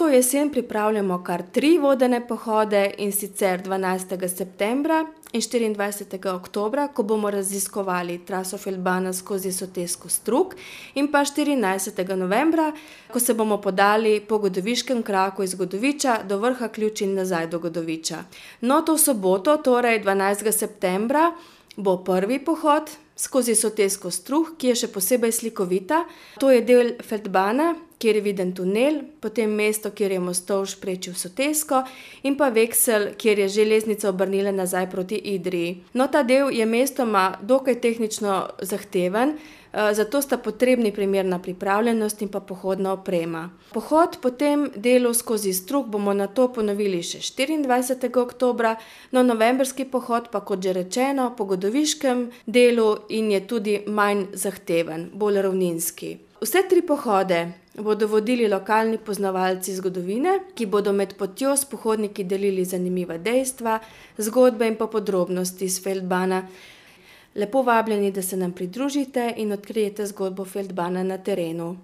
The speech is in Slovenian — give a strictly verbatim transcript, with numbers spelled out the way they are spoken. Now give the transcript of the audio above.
to jesen pripravljamo kar tri vodene pohode, in sicer dvanajstega septembra in štiriindvajsetega oktobra, ko bomo raziskovali traso feldbana skozi sotesko Strug, in pa štirinajstega novembra, ko se bomo podali po Godoviškem kraku iz Godoviča do vrha Ključ in nazaj do Godoviča. No, to soboto, torej dvanajstega septembra, bo prvi pohod skozi sotesko Strug, ki je še posebej slikovita. To je del feldbana, kjer je viden tunel, potem mesto, kjer je Mostovž prečil sotesko, in pa Veksel, kjer je železnica obrnila nazaj proti Idriji. No, ta del je mestoma dokaj tehnično zahteven, zato sta potrebni primerna pripravljenost in pa pohodna oprema. Pohod po tem delu skozi Strug bomo nato ponovili še štiriindvajsetega oktobra, no, novembrski pohod pa, kot že rečeno, po Godoviškem delu in je tudi manj zahteven, bolj ravninski. Vse tri pohode bodo vodili lokalni poznavalci zgodovine, ki bodo med potjo s pohodniki delili zanimiva dejstva, zgodbe in pa podrobnosti iz feldbana. Lepo vabljeni, da se nam pridružite in odkrijete zgodbo feldbana na terenu.